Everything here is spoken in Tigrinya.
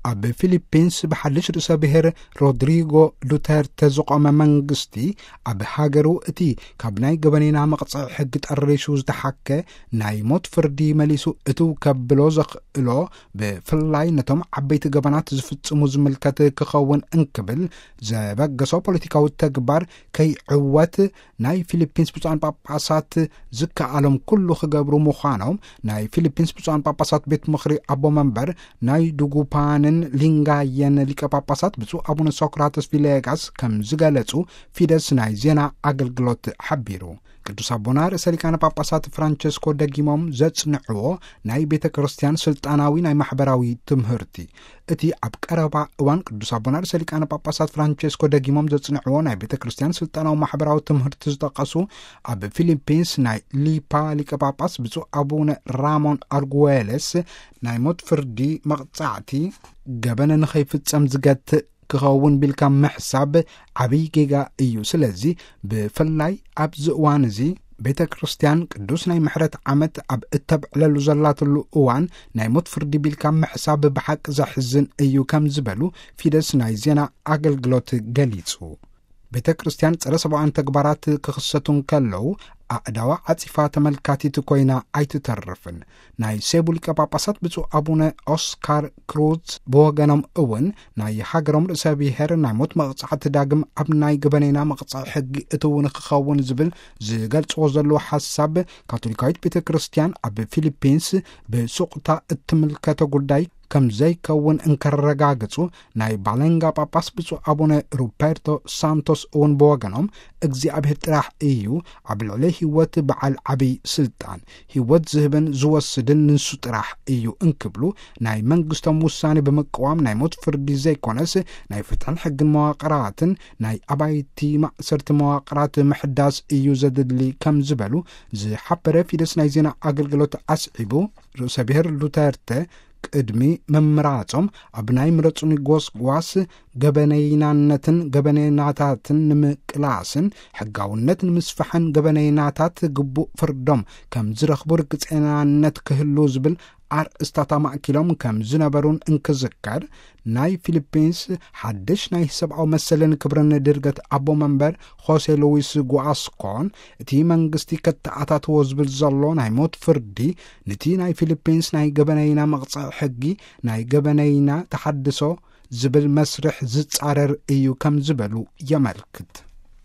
ኣብ ፊሊፒንስ ብሓድሽ ርእሰ ብሔር ሮድሪጎ ዱተርተ ዝቖመ መንግስቲ፣ ኣብ ሃገሩ እቲ ካብ ናይ ገበኔና መቕጽዒ ሕጊ ጠሪሱ ዝተሓከ ናይ ሞት ፍርዲ መሊሱ እትው ከብሎ ዘኽእሎ፣ ብፍላይ ነቶም ዓበይቲ ገበናት ዝፍጽሙ ዝምልከት ክኸውን እንክብል ዘበገሶ ፖለቲካዊ ተግባር ከይዕወት፣ ናይ ፊሊፒንስ ብፁዓን ጳጳሳት ዝከኣሎም ኩሉ ክገብሩ ምዃኖም ናይ ፊሊፒንስ ብፁዓን ጳጳሳት ቤት ምኽሪ ኣቦ መንበር ናይ ዱጉፓንን ሊንጋየን ሊቀ ጳጳሳት ብፁዕ ኣቡነ ሶክራተስ ቪሌጋስ ከም ዝገለጹ ፊደስ ናይ ዜና ኣገልግሎት ሓቢሩ። ቅዱስ ኣቦና ርእሰ ሊቃነ ጳጳሳት ፍራንቸስኮ ደጊሞም ዘጽንዕዎ ናይ ቤተ ክርስቲያን ስልጣናዊ ናይ ማሕበራዊ ትምህርቲ፣ እቲ ኣብ ቀረባ እዋን ቅዱስ ኣቦና ርእሰ ሊቃነ ጳጳሳት ፍራንቸስኮ ደጊሞም ዘጽንዕዎ ናይ ቤተ ክርስቲያን ስልጣናዊ ማሕበራዊ ትምህርቲ ዝጠቀሱ፣ ኣብ ፊሊፒንስ ናይ ሊፓ ሊቀ ጳጳስ ብፁዕ ኣቡነ ራሞን ኣርጉዌለስ ናይ ሞት ፍርዲ መቕጻዕቲ ገበነ ንኸይፍጸም ዝገትእ ክኸውን ቢልካ ምሕሳብ ዓብዪ ጌጋ እዩ። ስለዚ ብፍላይ ኣብዚ እዋን እዚ ቤተ ክርስቲያን ቅዱስ ናይ ምሕረት ዓመት ኣብ እተብዕለሉ ዘላትሉ እዋን ናይ ሞት ፍርዲ ቢልካ ምሕሳብ ብሓቂ ዘሕዝን እዩ ከም ዝበሉ ፊደስ ናይ ዜና ኣገልግሎት ገሊጹ። ቤተ ክርስቲያን ጸረ ሰብኣውያን ተግባራት ክኽሰቱ እንከለዉ ኣእዳዋ ዓጺፋ ተመልካቲት ኮይና ኣይትተርፍን። ናይ ሴቡ ሊቀ ጳጳሳት ብፁዕ ኣቡነ ኦስካር ክሩዝ ብወገኖም እውን ናይ ሃገሮም ርእሰ ብሔር ናይ ሞት መቕጻዕቲ ዳግም ኣብ ናይ ገበኔና መቕጻዒ ሕጊ እትው ንክኸውን ዝብል ዝገልጽዎ ዘለዉ ሓሳብ ካቶሊካዊት ቤተ ክርስቲያን ኣብ ፊሊፒንስ ብሱቕታ እትምልከቶ ጉዳይ ከም ዘይከውን እንከረጋግጹ፣ ናይ ባለንጋ ጳጳስ ብፁዕ ኣቡነ ሩበርቶ ሳንቶስ እውን ብወገኖም እግዚኣብሔር ጥራሕ እዩ ኣብ ልዕሊ ህይወት በዓል ዓብይ ስልጣን፣ ህይወት ዝህብን ዝወስድን ንሱ ጥራሕ እዩ እንክብሉ ናይ መንግስቶም ውሳኔ ብምቅዋም ናይ ሞት ፍርዲ ዘይኮነስ ናይ ፍትሕን ሕግን መዋቅራትን ናይ ኣባይቲ ማእሰርቲ መዋቅራት ምሕዳስ እዩ ዘድሊ ከም ዝበሉ ዝሓበረ ፊደስ ናይ ዜና ኣገልግሎት ኣስዒቡ ርእሰ ብሔር ዱተርተ ቅድሚ ምምራጾም ኣብ ናይ ምረጹኒ ጎስጓስ ገበነይናነትን ገበነይናታትን ንምቅላስን ሕጋውነት ንምስፋሕን ገበነይናታት ግቡእ ፍርዶም ከም ዝረኽቡ ርግጸናነት ክህሉ ዝብል ኣርእስታት ኣማእኪሎም ከም ዝነበሩን እንክዝከር፣ ናይ ፊሊፒንስ ሓድሽ ናይ ሰብኣዊ መሰልን ክብርን ድርገት ኣቦ መንበር ሆሴ ሉዊስ ጉኣስኮን እቲ መንግስቲ ከተኣታትዎ ዝብል ዘሎ ናይ ሞት ፍርዲ፣ ነቲ ናይ ፊሊፒንስ ናይ ገበነይና መቕጽዒ ሕጊ ናይ ገበነይና ተሓድሶ ዝብል መስርሕ ዝጻረር እዩ ከም ዝበሉ የመልክት።